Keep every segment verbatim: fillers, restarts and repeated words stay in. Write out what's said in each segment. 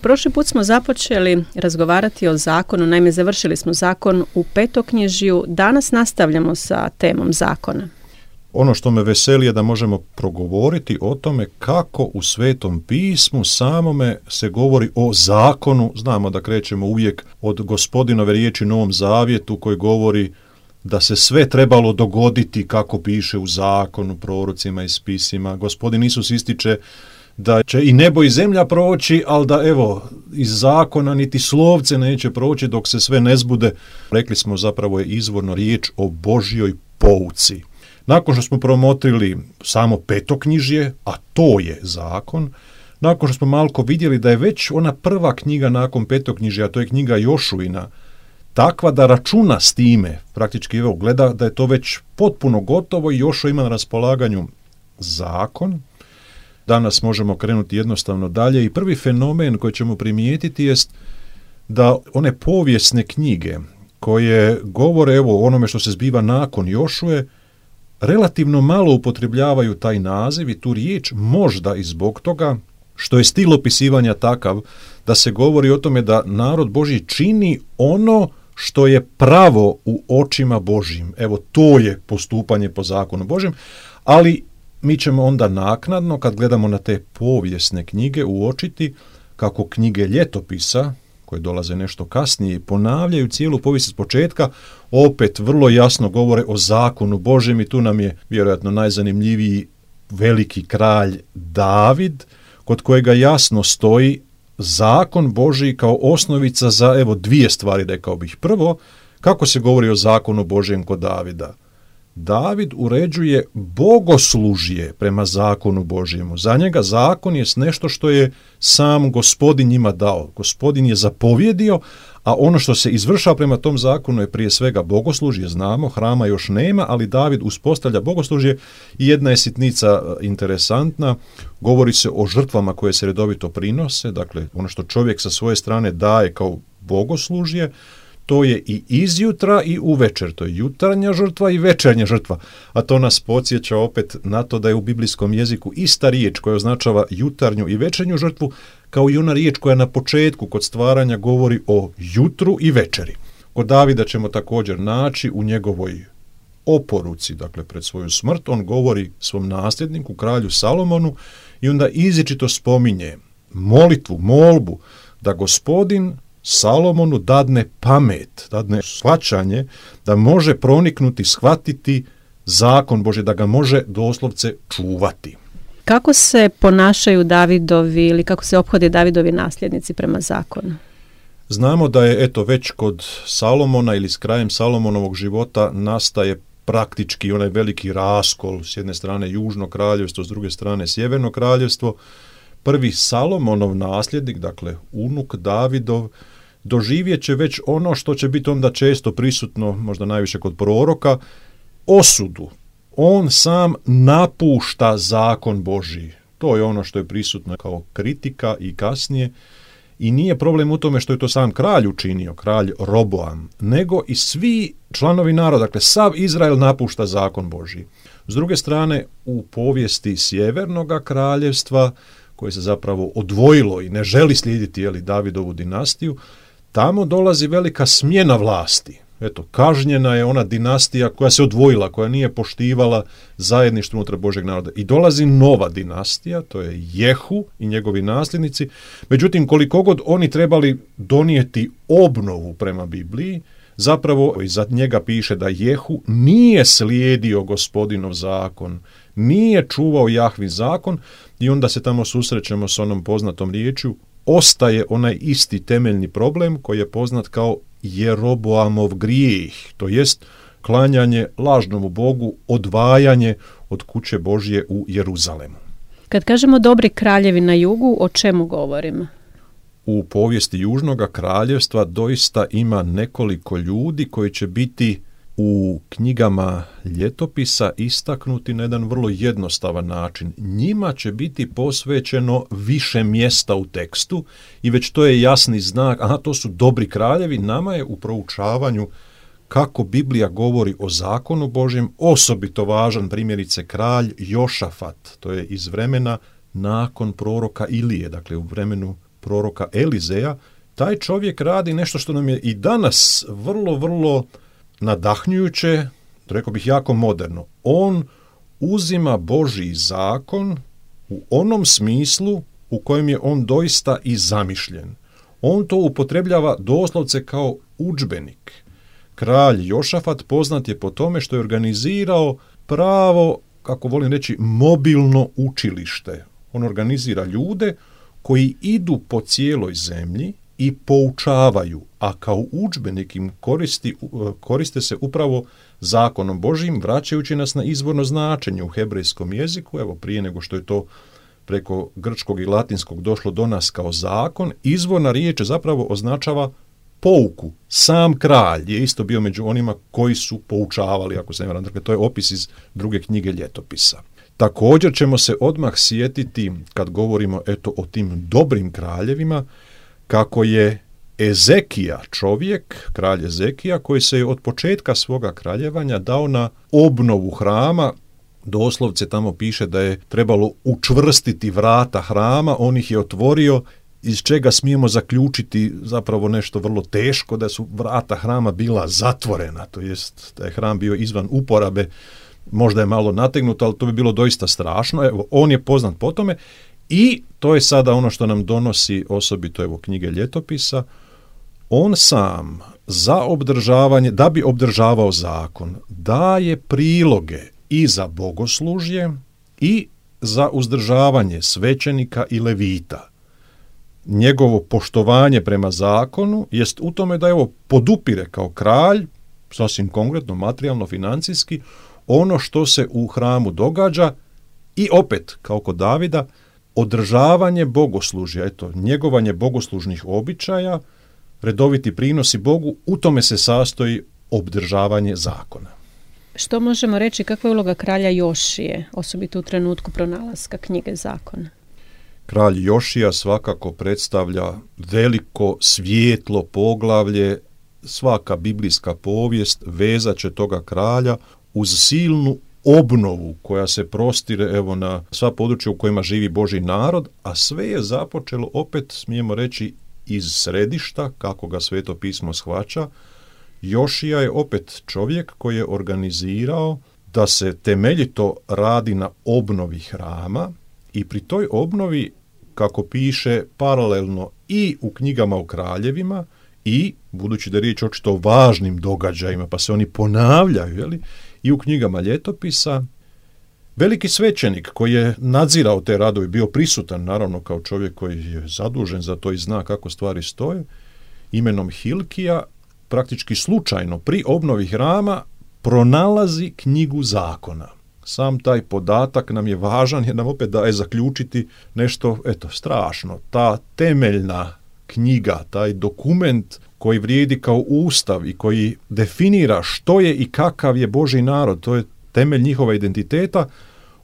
Prošli put smo započeli razgovarati o zakonu, naime završili smo zakon u Petoknjižju, danas nastavljamo sa temom zakona. Ono što me veseli je da možemo progovoriti o tome kako u Svetom pismu samome se govori o zakonu. Znamo da krećemo uvijek od Gospodinove riječi u Novom Zavjetu koji govori da se sve trebalo dogoditi kako piše u zakonu, prorocima i spisima. Gospodin Isus ističe da će i nebo i zemlja proći, ali da evo iz zakona niti slovce neće proći dok se sve ne zbude. Rekli smo zapravo je izvorno riječ o Božjoj pouci. Nakon što smo promotrili samo Petoknjižje, a to je zakon, nakon što smo malko vidjeli da je već ona prva knjiga nakon Petoknjižja, a to je knjiga Jošuina, takva da računa s time, praktički evo gleda da je to već potpuno gotovo i Jošua ima na raspolaganju zakon. Danas možemo krenuti jednostavno dalje i prvi fenomen koji ćemo primijetiti jest da one povijesne knjige koje govore evo o onome što se zbiva nakon Jošue, relativno malo upotrebljavaju taj naziv i tu riječ, možda i zbog toga što je stil opisivanja takav da se govori o tome da narod Božji čini ono što je pravo u očima Božjim. Evo, to je postupanje po zakonu Božjem, ali mi ćemo onda naknadno, kad gledamo na te povijesne knjige, uočiti kako knjige ljetopisa, koje dolaze nešto kasnije, ponavljaju cijelu povijest s početka, opet vrlo jasno govore o zakonu Božjem i tu nam je vjerojatno najzanimljiviji veliki kralj David, kod kojega jasno stoji zakon Božji kao osnovica za evo dvije stvari, rekao bih. Prvo, kako se govori o zakonu Božjem kod Davida? David uređuje bogoslužje prema zakonu Božjemu. Za njega zakon je nešto što je sam Gospodin njima dao. Gospodin je zapovjedio, a ono što se izvršava prema tom zakonu je prije svega bogoslužje, znamo, hrama još nema, ali David uspostavlja bogoslužje i jedna je sitnica interesantna, govori se o žrtvama koje se redovito prinose, dakle ono što čovjek sa svoje strane daje kao bogoslužje, to je i izjutra i uvečer, to je jutarnja žrtva i večernja žrtva, a to nas podsjeća opet na to da je u biblijskom jeziku ista riječ koja označava jutarnju i večernju žrtvu, kao i ona riječ koja na početku kod stvaranja govori o jutru i večeri. Kod Davida ćemo također naći u njegovoj oporuci, dakle pred svoju smrt, on govori svom nasljedniku, kralju Salomonu, i onda izričito spominje molitvu, molbu, da Gospodin Salomonu dadne pamet, dadne shvaćanje, da može proniknuti, shvatiti zakon Božji, da ga može doslovce čuvati. Kako se ponašaju Davidovi ili kako se ophode Davidovi nasljednici prema zakonu? Znamo da je eto već kod Salomona ili s krajem Salomonovog života nastaje praktički onaj veliki raskol, s jedne strane južno kraljevstvo, s druge strane sjeverno kraljevstvo. Prvi Salomonov nasljednik, dakle unuk Davidov, doživjet će već ono što će biti onda često prisutno, možda najviše kod proroka, osudu. On sam napušta zakon Božji. To je ono što je prisutno kao kritika i kasnije. I nije problem u tome što je to sam kralj učinio, kralj Roboam, nego i svi članovi naroda, dakle sav Izrael napušta zakon Božji. S druge strane, u povijesti sjevernog kraljevstva, koje se zapravo odvojilo i ne želi slijediti jeli, Davidovu dinastiju, tamo dolazi velika smjena vlasti. Eto, kažnjena je ona dinastija koja se odvojila, koja nije poštivala zajedništvo unutar Božjeg naroda. I dolazi nova dinastija, to je Jehu i njegovi nasljednici. Međutim, koliko god oni trebali donijeti obnovu prema Bibliji, zapravo iza njega piše da Jehu nije slijedio Gospodinov zakon, nije čuvao Jahvin zakon i onda se tamo susrećemo s onom poznatom riječju, ostaje onaj isti temeljni problem koji je poznat kao Jeroboamov grijeh, to jest klanjanje lažnomu Bogu, odvajanje od kuće Božje u Jeruzalemu. Kad kažemo dobri kraljevi na jugu, o čemu govorimo? U povijesti Južnog kraljevstva doista ima nekoliko ljudi koji će biti u knjigama ljetopisa istaknuti na jedan vrlo jednostavan način. Njima će biti posvećeno više mjesta u tekstu i već to je jasni znak, aha, to su dobri kraljevi. Nama je u proučavanju kako Biblija govori o zakonu Božjem osobito važan primjerice kralj Jošafat, to je iz vremena nakon proroka Ilije, dakle u vremenu proroka Elizeja, taj čovjek radi nešto što nam je i danas vrlo, vrlo nadahnjujuće, rekao bih jako moderno. On uzima Božji zakon u onom smislu u kojem je on doista i zamišljen. On to upotrebljava doslovce kao udžbenik. Kralj Jošafat poznat je po tome što je organizirao pravo, kako volim reći, mobilno učilište. On organizira ljude koji idu po cijeloj zemlji i poučavaju, a kao udžbenik im koristi, koriste se upravo zakonom Božjim, vraćajući nas na izvorno značenje u hebrejskom jeziku. Evo, prije nego što je to preko grčkog i latinskog došlo do nas kao zakon, izvorna riječ zapravo označava pouku. Sam kralj je isto bio među onima koji su poučavali, ako se ne varam. Dakle, to je opis iz druge knjige Ljetopisa. Također ćemo se odmah sjetiti, kad govorimo eto o tim dobrim kraljevima, kako je Ezekija čovjek, kralj Ezekija, koji se je od početka svoga kraljevanja dao na obnovu hrama. Doslovce tamo piše da je trebalo učvrstiti vrata hrama, on ih je otvorio, iz čega smijemo zaključiti zapravo nešto vrlo teško, da su vrata hrama bila zatvorena, to jest da je hram bio izvan uporabe, možda je malo nategnuto, ali to bi bilo doista strašno. Evo, on je poznat po tome i to je sada ono što nam donosi osobito evo knjige Ljetopisa. On sam za obdržavanje, da bi obdržavao zakon, daje priloge i za bogoslužje i za uzdržavanje svećenika i levita. Njegovo poštovanje prema zakonu jest u tome da evo podupire kao kralj, sasvim konkretno, materijalno, financijski, ono što se u hramu događa i opet, kao kod Davida, održavanje bogoslužja, eto, njegovanje bogoslužnih običaja, redoviti prinosi Bogu, u tome se sastoji obdržavanje zakona. Što možemo reći, kakva je uloga kralja Jošije, osobito u trenutku pronalaska knjige zakona? Kralj Jošija svakako predstavlja veliko svijetlo poglavlje, svaka biblijska povijest vezat će toga kralja uz silnu obnovu koja se prostire evo na sva područja u kojima živi Božji narod, a sve je započelo opet, smijemo reći, iz središta, kako ga Sveto pismo shvaća. Jošija je opet čovjek koji je organizirao da se temeljito radi na obnovi hrama i pri toj obnovi, kako piše paralelno i u knjigama o kraljevima i, budući da je riječ očito o važnim događajima, pa se oni ponavljaju, jeli, i u knjigama Ljetopisa, veliki svećenik koji je nadzirao te radove, bio prisutan naravno kao čovjek koji je zadužen za to i zna kako stvari stoje, imenom Hilkija, praktički slučajno pri obnovi hrama pronalazi knjigu zakona. Sam taj podatak nam je važan jer nam opet daje zaključiti nešto, eto, strašno. Ta temeljna knjiga, taj dokument koji vrijedi kao ustav i koji definira što je i kakav je Božji narod, to je temelj njihova identiteta,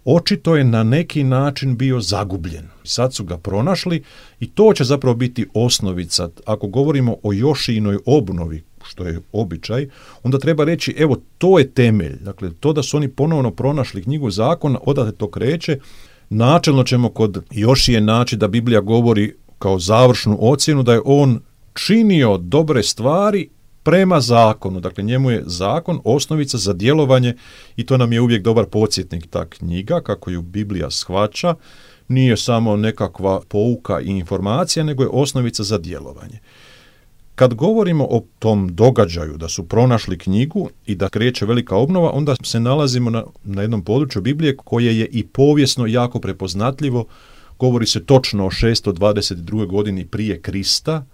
očito je na neki način bio zagubljen. Sad su ga pronašli i to će zapravo biti osnovica. Ako govorimo o Jošijinoj obnovi, što je običaj, onda treba reći, evo, to je temelj. Dakle, to da su oni ponovno pronašli knjigu zakona, odatle to kreće. Načelno ćemo kod Jošije naći da Biblija govori kao završnu ocjenu da je on činio dobre stvari prema zakonu. Dakle, njemu je zakon osnovica za djelovanje i to nam je uvijek dobar podsjetnik. Ta knjiga, kako ju Biblija shvaća, nije samo nekakva pouka i informacija, nego je osnovica za djelovanje. Kad govorimo o tom događaju da su pronašli knjigu i da kreće velika obnova, onda se nalazimo na, na jednom području Biblije koje je i povijesno jako prepoznatljivo. Govori se točno o šesto dvadeset druge godini prije Krista.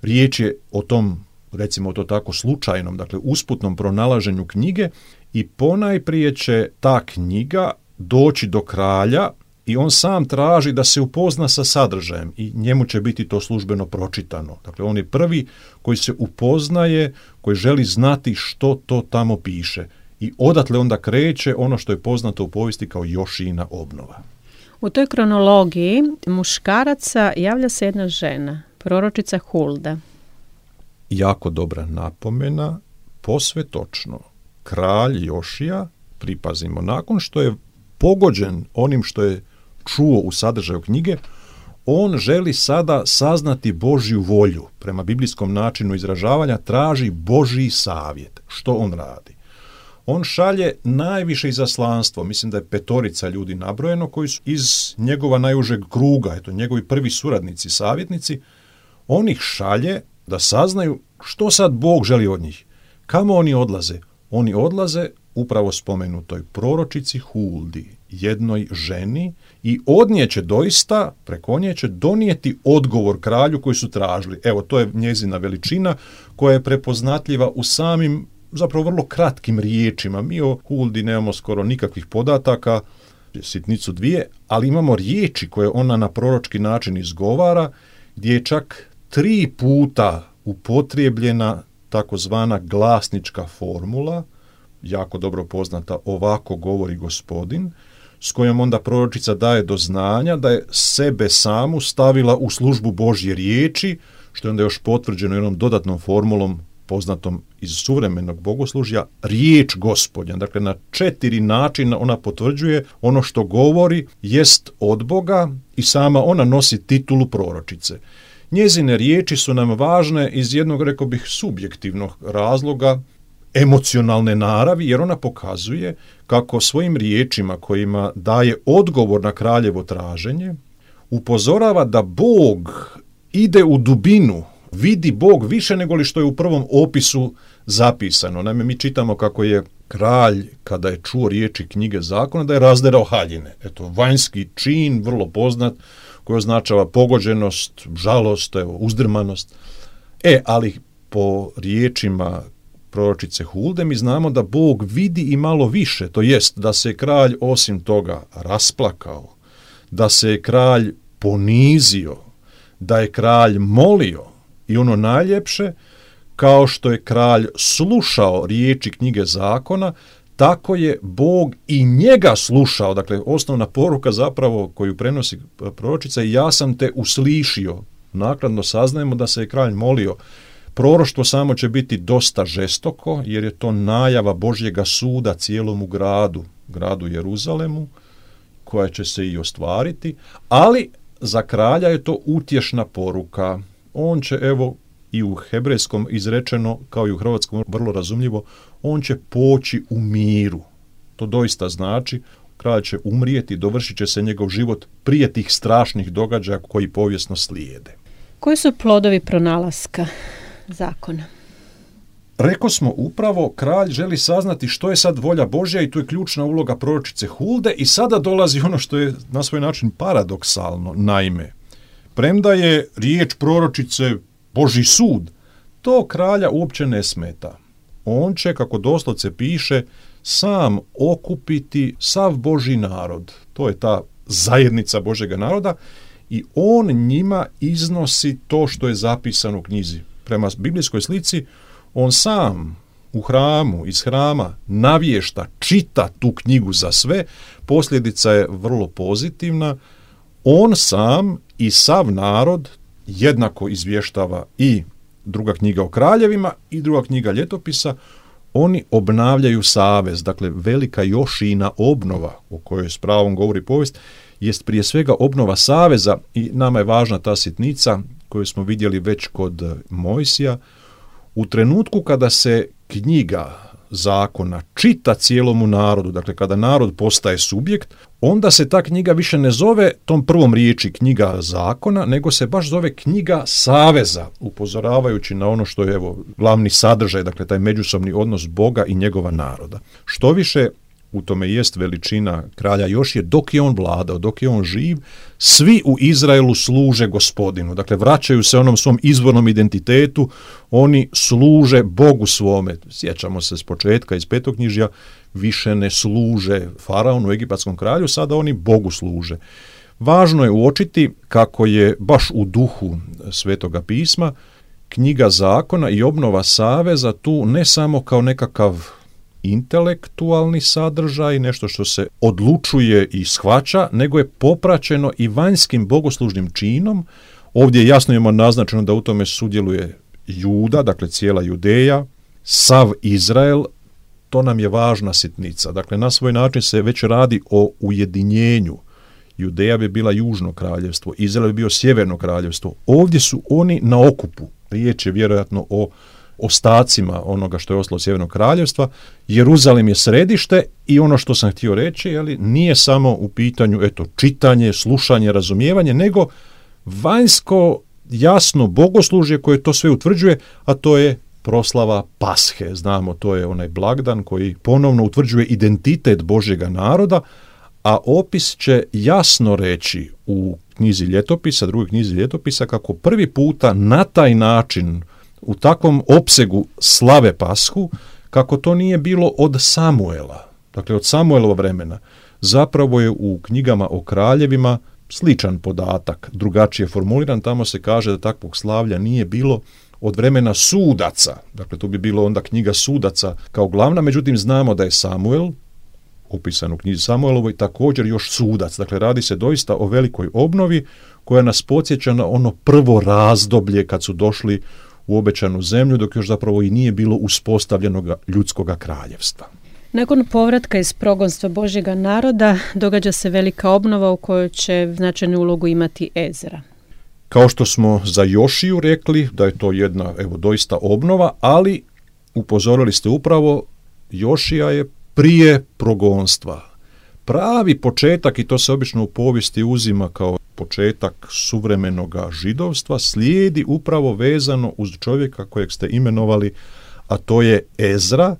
Riječ je o tom, recimo to tako, slučajnom, dakle usputnom pronalaženju knjige i ponajprije će ta knjiga doći do kralja i on sam traži da se upozna sa sadržajem i njemu će biti to službeno pročitano. Dakle, on je prvi koji se upoznaje, koji želi znati što to tamo piše. I odatle onda kreće ono što je poznato u povijesti kao Jošijina obnova. U toj kronologiji muškaraca javlja se jedna žena, proročica Hulda. Jako dobra napomena, posve točno. Kralj Jošija, pripazimo, nakon što je pogođen onim što je čuo u sadržaju knjige, on želi sada saznati Božju volju. Prema biblijskom načinu izražavanja traži Božji savjet. Što on radi? On šalje najviše izaslanstvo, mislim da je petorica ljudi nabrojeno, koji su iz njegova najužeg kruga, eto, njegovi prvi suradnici, savjetnici, on ih šalje da saznaju što sad Bog želi od njih. Kamo oni odlaze? Oni odlaze upravo spomenutoj proročici Huldi, jednoj ženi, i od nje će doista, preko nje će donijeti odgovor kralju koji su tražili. Evo, to je njezina veličina koja je prepoznatljiva u samim, zapravo vrlo kratkim riječima. Mi o Huldi nemamo skoro nikakvih podataka, sitnicu dvije, ali imamo riječi koje ona na proročki način izgovara, gdje je čak tri puta upotrijebljena takozvana glasnička formula, jako dobro poznata, ovako govori Gospodin, s kojom onda proročica daje do znanja da je sebe samu stavila u službu Božje riječi, što je onda još potvrđeno jednom dodatnom formulom poznatom iz suvremenog bogoslužja, riječ Gospodnja. Dakle, na četiri načina ona potvrđuje ono što govori jest od Boga i sama ona nosi titulu proročice. Njezine riječi su nam važne iz jednog, rekao bih, subjektivnog razloga, emocionalne naravi, jer ona pokazuje kako svojim riječima kojima daje odgovor na kraljevo traženje, upozorava da Bog ide u dubinu, vidi Bog više nego li što je u prvom opisu zapisano. Naime, mi čitamo kako je kralj, kada je čuo riječi knjige zakona, da je razderao haljine. Eto, vanjski čin, vrlo poznat, koji označava pogođenost, žalost, evo, uzdrmanost. E, ali po riječima proročice Hulde mi znamo da Bog vidi i malo više, to jest da se kralj osim toga rasplakao, da se kralj ponizio, da je kralj molio i ono najljepše, kao što je kralj slušao riječi knjige zakona, tako je Bog i njega slušao. Dakle, osnovna poruka zapravo koju prenosi proročica je ja sam te uslišio. Naknadno saznajemo da se je kralj molio. Proroštvo samo će biti dosta žestoko, jer je to najava Božjega suda cijelomu gradu, gradu Jeruzalemu, koja će se i ostvariti, ali za kralja je to utješna poruka. On će, evo, i u hebrejskom izrečeno, kao i u hrvatskom vrlo razumljivo, on će poći u miru. To doista znači, kralj će umrijeti, dovršit će se njegov život prije tih strašnih događaja koji povijesno slijede. Koji su plodovi pronalaska zakona? Rekao smo upravo, kralj želi saznati što je sad volja Božja i tu je ključna uloga proročice Hulde i sada dolazi ono što je na svoj način paradoksalno. Naime, premda je riječ proročice Božji sud, to kralja uopće ne smeta. On će, kako doslovce piše, sam okupiti sav Božji narod. To je ta zajednica Božjega naroda i on njima iznosi to što je zapisano u knjizi. Prema biblijskoj slici, on sam u hramu, iz hrama navješta, čita tu knjigu za sve, posljedica je vrlo pozitivna. On sam i sav narod jednako izvještava i druga knjiga o kraljevima i druga knjiga ljetopisa. Oni obnavljaju savez, dakle velika Jošina obnova o kojoj s pravom govori povijest, jest prije svega obnova saveza i nama je važna ta sitnica koju smo vidjeli već kod Mojsija. U trenutku kada se knjiga zakona čita cijelomu narodu, dakle kada narod postaje subjekt, onda se ta knjiga više ne zove tom prvom riječi knjiga zakona, nego se baš zove knjiga saveza, upozoravajući na ono što je evo glavni sadržaj, dakle taj međusobni odnos Boga i njegova naroda. Što više, u tome jest veličina kralja Jošije, dok je on vladao, dok je on živ, svi u Izraelu služe Gospodinu. Dakle, vraćaju se onom svom izvornom identitetu, oni služe Bogu svome. Sjećamo se s početka iz petoknjižja, više ne služe faraonu, egipatskom kralju, sada oni Bogu služe. Važno je uočiti kako je baš u duhu Svetoga pisma knjiga zakona i obnova saveza tu ne samo kao nekakav intelektualni sadržaj, nešto što se odlučuje i shvaća, nego je popraćeno i vanjskim bogoslužnim činom. Ovdje jasno imamo naznačeno da u tome sudjeluje Juda, dakle cijela Judeja, sav Izrael, to nam je važna sitnica. Dakle, na svoj način se već radi o ujedinjenju Judeja bi bila južno kraljevstvo, Izrael bi bio sjeverno kraljevstvo. Ovdje su oni na okupu. Riječ je vjerojatno o ostacima onoga što je ostalo sjevernog kraljevstva. Jeruzalem je središte i ono što sam htio reći, jeli, nije samo u pitanju eto, čitanje, slušanje, razumijevanje, nego vanjsko jasno bogoslužje koje to sve utvrđuje, a to je proslava Pashe. Znamo, to je onaj blagdan koji ponovno utvrđuje identitet Božjega naroda, a opis će jasno reći u knjizi Ljetopisa, drugoj knjizi Ljetopisa, kako prvi puta na taj način, u takvom opsegu slave Pashu, kako to nije bilo od Samuela, dakle od Samuelova vremena. Zapravo je u knjigama o kraljevima sličan podatak, drugačije formuliran, tamo se kaže da takvog slavlja nije bilo od vremena sudaca, dakle to bi bilo onda knjiga sudaca kao glavna, međutim znamo da je Samuel, opisan u knjizi Samuelovoj, također još sudac, dakle radi se doista o velikoj obnovi koja nas podsjeća na ono prvo razdoblje kad su došli u obećanu zemlju, dok još zapravo i nije bilo uspostavljenog ljudskog kraljevstva. Nakon povratka iz progonstva Božjega naroda događa se velika obnova u kojoj će značajnu ulogu imati Ezra. Kao što smo za Jošiju rekli da je to jedna evo doista obnova, ali upozorili ste upravo, Jošija je prije progonstva. Pravi početak, i to se obično u povijesti uzima kao početak suvremenog židovstva, slijedi upravo vezano uz čovjeka kojeg ste imenovali, a to je Ezra,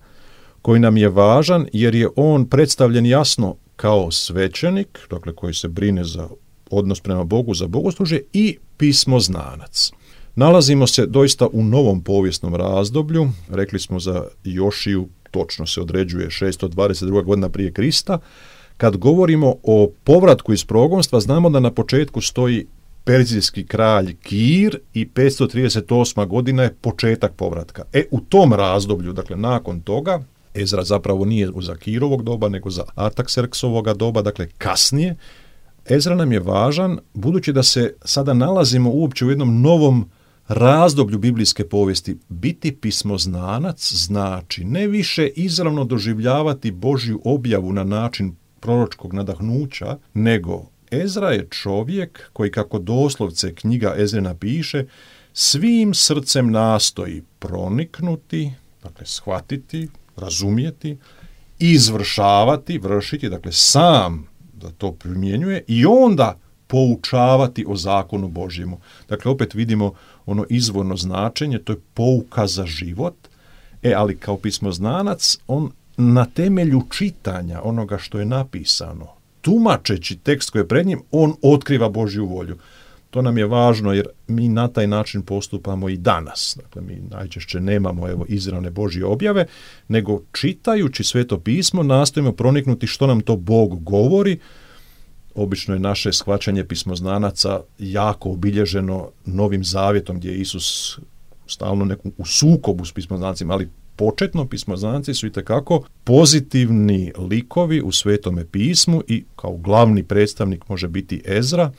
koji nam je važan jer je on predstavljen jasno kao svećenik, dakle koji se brine za odnos prema Bogu, za bogoslužje, i pismoznanac. Nalazimo se doista u novom povijesnom razdoblju, rekli smo za Jošiju, točno se određuje šesto dvadeset druga godina prije Krista. Kad govorimo o povratku iz progonstva, znamo da na početku stoji perzijski kralj Kir i petsto trideset osma godina je početak povratka. E, u tom razdoblju, dakle nakon toga, Ezra zapravo nije za Kirovog doba, nego za Artakserksovoga doba, dakle kasnije, Ezra nam je važan, budući da se sada nalazimo uopće u jednom novom razdoblju biblijske povijesti. Biti pismoznanac znači ne više izravno doživljavati Božju objavu na način proročkog nadahnuća, nego Ezra je čovjek koji, kako doslovce knjiga Ezrina piše, svim srcem nastoji proniknuti, dakle shvatiti, razumjeti, izvršavati, vršiti, dakle sam da to primjenjuje i onda poučavati o zakonu Božjemu. Dakle, opet vidimo ono izvorno značenje, to je pouka za život, e, ali kao pismoznanac, on na temelju čitanja onoga što je napisano, tumačeći tekst koji je pred njim, on otkriva Božju volju. To nam je važno jer mi na taj način postupamo i danas. Dakle, mi najčešće nemamo evo izravne Božje objave, nego čitajući Sveto pismo nastojimo proniknuti što nam to Bog govori. Obično je naše shvaćanje pismoznanaca jako obilježeno Novim zavjetom, gdje je Isus stalno neku, u sukobu s pismoznacima, ali početno pismoznanci su itekako pozitivni likovi u Svetome pismu i kao glavni predstavnik može biti Ezra.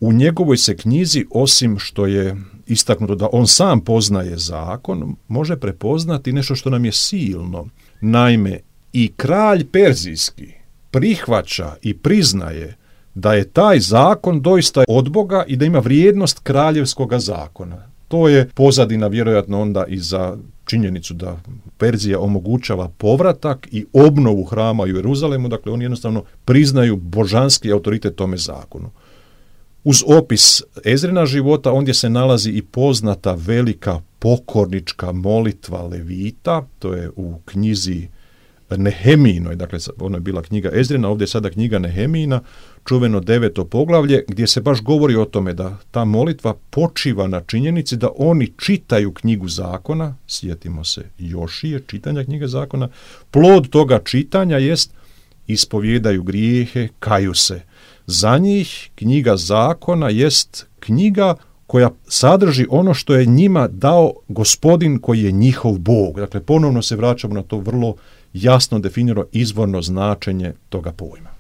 U njegovoj se knjizi, osim što je istaknuto da on sam poznaje zakon, može prepoznati nešto što nam je silno. Naime, i kralj perzijski prihvaća i priznaje da je taj zakon doista od Boga i da ima vrijednost kraljevskoga zakona. To je pozadina vjerojatno onda i za činjenicu da Perzija omogućava povratak i obnovu hrama u Jeruzalemu, dakle oni jednostavno priznaju božanski autoritet tome zakonu. Uz opis Ezrina života ondje se nalazi i poznata velika pokornička molitva Levita, to je u knjizi Nehemijinoj, dakle ono je bila knjiga Ezrina, ovdje je sada knjiga Nehemijina, čuveno deveto poglavlje, gdje se baš govori o tome da ta molitva počiva na činjenici da oni čitaju knjigu zakona, sjetimo se Jošije, čitanja knjige zakona, plod toga čitanja jest ispovjedaju grijehe, kaju se. Za njih knjiga zakona jest knjiga koja sadrži ono što je njima dao Gospodin koji je njihov Bog. Dakle, ponovno se vraćamo na to vrlo jasno definirano izvorno značenje toga pojma.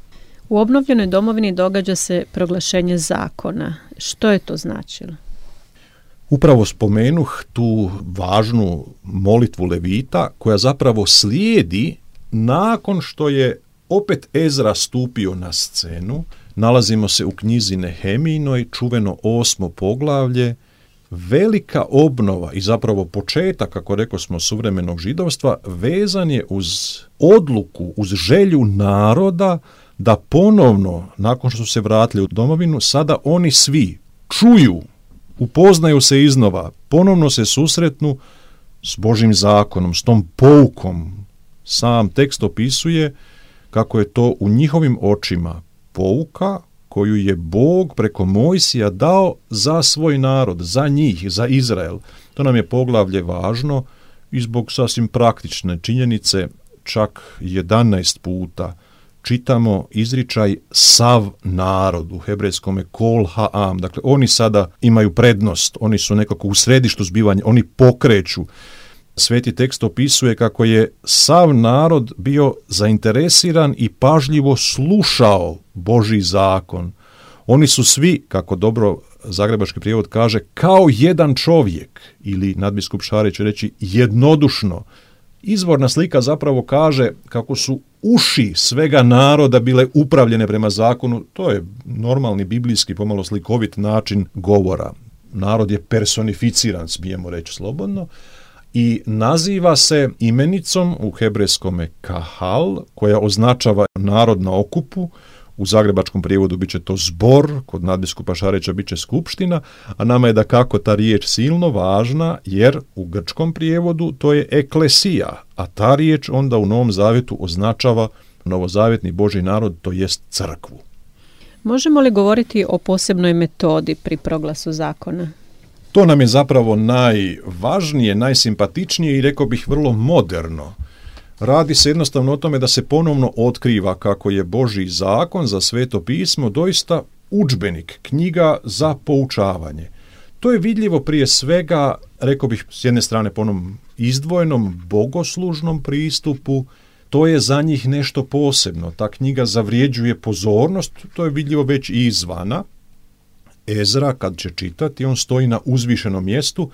U obnovljenoj domovini događa se proglašenje zakona. Što je to značilo? Upravo spomenuh tu važnu molitvu Levita koja zapravo slijedi nakon što je opet Ezra stupio na scenu, Nalazimo se u knjizi Nehemijinoj, čuveno osmo poglavlje, velika obnova i zapravo početak, kako rekao smo, suvremenog židovstva, vezan je uz odluku, uz želju naroda da ponovno, nakon što su se vratili u domovinu, sada oni svi čuju, upoznaju se iznova, ponovno se susretnu s Božjim zakonom, s tom poukom. Sam tekst opisuje kako je to u njihovim očima pouka koju je Bog preko Mojsija dao za svoj narod, za njih, za Izrael. To nam je poglavlje važno i zbog sasvim praktične činjenice, čak jedanaest puta čitamo izričaj sav narod, u hebrejskome kol ha'am. Dakle, oni sada imaju prednost, oni su nekako u središtu zbivanja, oni pokreću. Sveti tekst opisuje kako je sav narod bio zainteresiran i pažljivo slušao Božji zakon. Oni su svi, kako dobro zagrebački prijevod kaže, kao jedan čovjek, ili nadbiskup Šarić će reći jednodušno. Izvorna slika zapravo kaže kako su uši svega naroda bile upravljene prema zakonu. To je normalni biblijski, pomalo slikovit način govora. Narod je personificiran, smijemo reći slobodno, i naziva se imenicom u hebrejskome kahal, koja označava narod na okupu. U zagrebačkom prijevodu bit će to zbor, kod nadbiskupa Šarića bit će skupština, a nama je da kako ta riječ silno važna, jer u grčkom prijevodu to je eklesija, a ta riječ onda u Novom Zavjetu označava novozavjetni Božji narod, to jest crkvu. Možemo li govoriti o posebnoj metodi pri proglasu zakona? To nam je zapravo najvažnije, najsimpatičnije i rekao bih vrlo moderno. Radi se jednostavno o tome da se ponovno otkriva kako je Božji zakon za Sveto pismo doista udžbenik, knjiga za poučavanje. To je vidljivo prije svega, rekao bih s jedne strane po onom izdvojenom bogoslužnom pristupu, to je za njih nešto posebno. Ta knjiga zavrijeđuje pozornost, to je vidljivo već i izvana. Ezra, kad će čitati, on stoji na uzvišenom mjestu.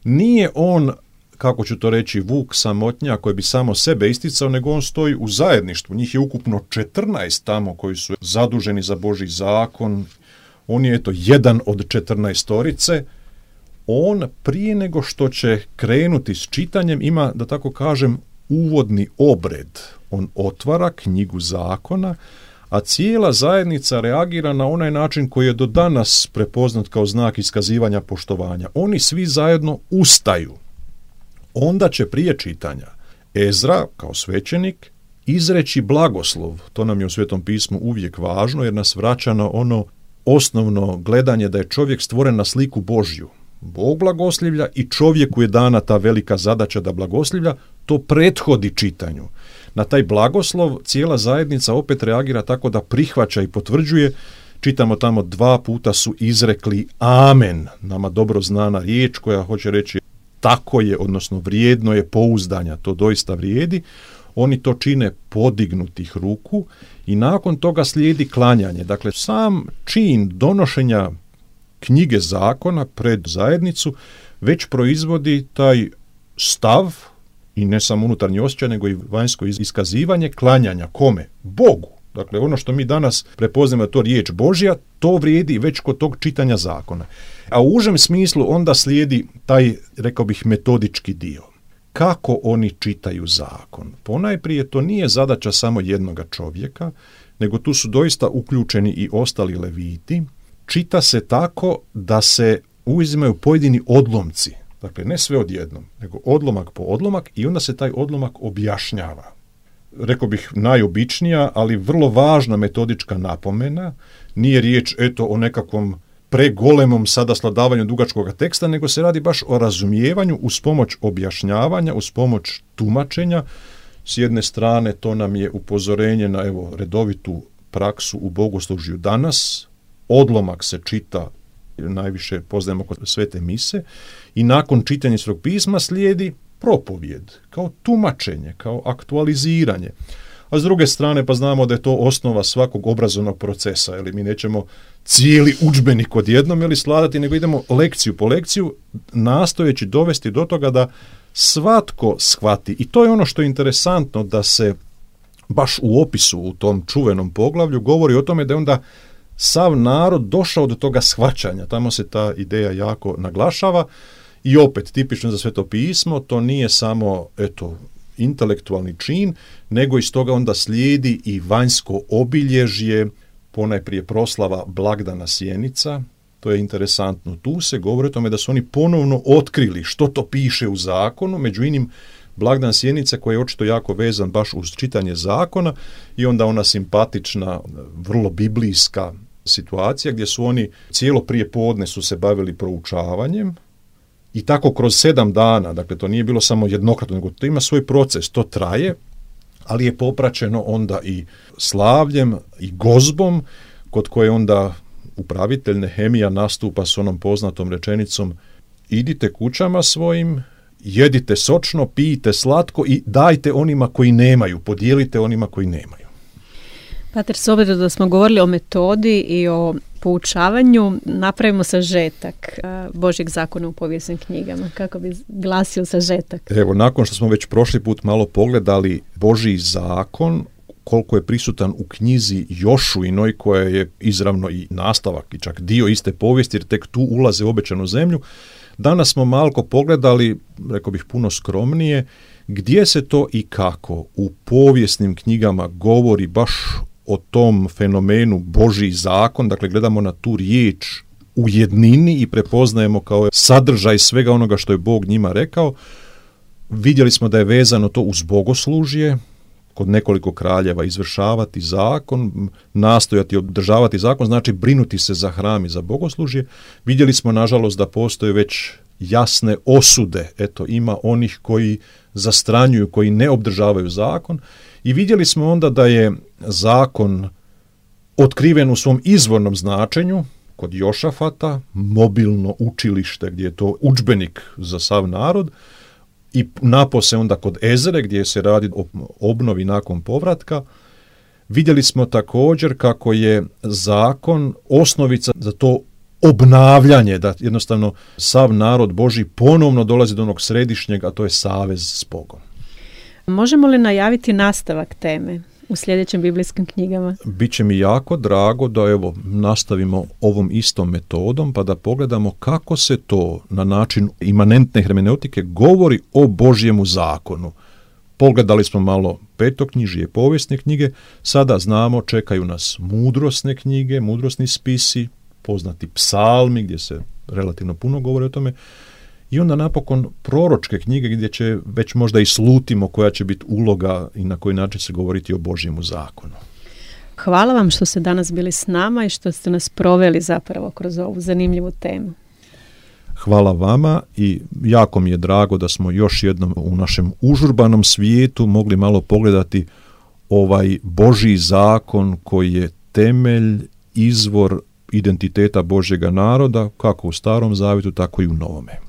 Nije on, kako ću to reći, vuk samotnja koji bi samo sebe isticao, nego on stoji u zajedništvu. Njih je ukupno četrnaest tamo koji su zaduženi za Božji zakon. On je eto jedan od četrnaestorice. On prije nego što će krenuti s čitanjem ima, da tako kažem, uvodni obred. On otvara knjigu zakona, a cijela zajednica reagira na onaj način koji je do danas prepoznat kao znak iskazivanja poštovanja. Oni svi zajedno ustaju. Onda će prije čitanja Ezra, kao svećenik, izreći blagoslov. To nam je u Svetom pismu uvijek važno, jer nas vraća na ono osnovno gledanje da je čovjek stvoren na sliku Božju. Bog blagoslivlja i čovjeku je dana ta velika zadaća da blagoslivlja, to prethodi čitanju. Na taj blagoslov cijela zajednica opet reagira tako da prihvaća i potvrđuje. Čitamo tamo dva puta su izrekli amen, nama dobro znana riječ koja hoće reći tako je, odnosno vrijedno je pouzdanja, to doista vrijedi. Oni to čine podignutih ruku i nakon toga slijedi klanjanje. Dakle, sam čin donošenja knjige zakona pred zajednicu već proizvodi taj stav, i ne samo unutarnji osjećaj, nego i vanjsko iskazivanje klanjanja. Kome? Bogu. Dakle, ono što mi danas prepoznajemo to riječ Božja, to vrijedi već kod tog čitanja zakona. A u užem smislu onda slijedi taj, rekao bih, metodički dio. Kako oni čitaju zakon? Ponajprije to nije zadaća samo jednoga čovjeka, nego tu su doista uključeni i ostali leviti. Čita se tako da se uzimaju pojedini odlomci. Dakle, ne sve odjednom, nego odlomak po odlomak i onda se taj odlomak objašnjava. Rekao bih najobičnija, ali vrlo važna metodička napomena. Nije riječ eto o nekakvom pregolemom sada sladavanju dugačkog teksta, nego se radi baš o razumijevanju uz pomoć objašnjavanja, uz pomoć tumačenja. S jedne strane to nam je upozorenje na evo redovitu praksu u bogoslužju danas. Odlomak se čita, najviše poznajemo kod svete mise, i nakon čitanja Svetog pisma slijedi propovijed, kao tumačenje, kao aktualiziranje. A s druge strane pa znamo da je to osnova svakog obrazovnog procesa, jer mi nećemo cijeli udžbenik odjednom ili sladati, nego idemo lekciju po lekciju, nastojeći dovesti do toga da svatko shvati. I to je ono što je interesantno, da se baš u opisu u tom čuvenom poglavlju govori o tome da je onda sav narod došao do toga shvaćanja. Tamo se ta ideja jako naglašava i opet tipično za Sveto pismo, to nije samo eto intelektualni čin, nego iz toga onda slijedi i vanjsko obilježje, ponajprije proslava blagdana Sjenica. To je interesantno. Tu se govori o tome da su oni ponovno otkrili što to piše u zakonu, među inim blagdan Sjenice koji je očito jako vezan baš uz čitanje zakona i onda ona simpatična, vrlo biblijska situacija gdje su oni cijelo prije podne su se bavili proučavanjem i tako kroz sedam dana, dakle to nije bilo samo jednokratno, nego to ima svoj proces, to traje, ali je popraćeno onda i slavljem i gozbom kod koje onda upravitelj Nehemija nastupa s onom poznatom rečenicom: idite kućama svojim, jedite sočno, pijite slatko i dajte onima koji nemaju, podijelite onima koji nemaju. Pater, s obzirom da smo govorili o metodi i o poučavanju, napravimo sažetak Božjeg zakona u povijesnim knjigama. Kako bi glasio sažetak? Evo, nakon što smo već prošli put malo pogledali Božji zakon, koliko je prisutan u knjizi Jošuinoj, koja je izravno i nastavak i čak dio iste povijesti, jer tek tu ulaze u obećanu zemlju, danas smo malko pogledali, rekao bih puno skromnije, gdje se to i kako u povijesnim knjigama govori baš o tom fenomenu Božji zakon, dakle gledamo na tu riječ u jednini i prepoznajemo kao sadržaj svega onoga što je Bog njima rekao. Vidjeli smo da je vezano to uz bogoslužje, kod nekoliko kraljeva izvršavati zakon, nastojati održavati zakon, znači brinuti se za hram i za bogoslužje. Vidjeli smo nažalost da postoje već jasne osude, eto ima onih koji zastranjuju, koji ne obdržavaju zakon i vidjeli smo onda da je zakon otkriven u svom izvornom značenju, kod Jošafata, mobilno učilište gdje je to udžbenik za sav narod, i napose onda kod Ezre gdje se radi o obnovi nakon povratka. Vidjeli smo također kako je zakon osnovica za to obnavljanje, da jednostavno sav narod Božji ponovno dolazi do onog središnjeg, a to je savez s Bogom. Možemo li najaviti nastavak teme u sljedećim biblijskim knjigama? Biće mi jako drago da evo nastavimo ovom istom metodom pa da pogledamo kako se to na način imanentne hermeneutike govori o Božjemu zakonu. Pogledali smo malo petoknjižje, povijesne knjige, sada znamo čekaju nas mudrosne knjige, mudrosni spisi, poznati psalmi gdje se relativno puno govori o tome. I onda napokon proročke knjige gdje će već možda i slutimo koja će biti uloga i na koji način se govoriti o Božjemu zakonu. Hvala vam što ste danas bili s nama i što ste nas proveli zapravo kroz ovu zanimljivu temu. Hvala vama i jako mi je drago da smo još jednom u našem užurbanom svijetu mogli malo pogledati ovaj Božji zakon koji je temelj, izvor identiteta Božjega naroda, kako u Starom Zavjetu, tako i u Novome.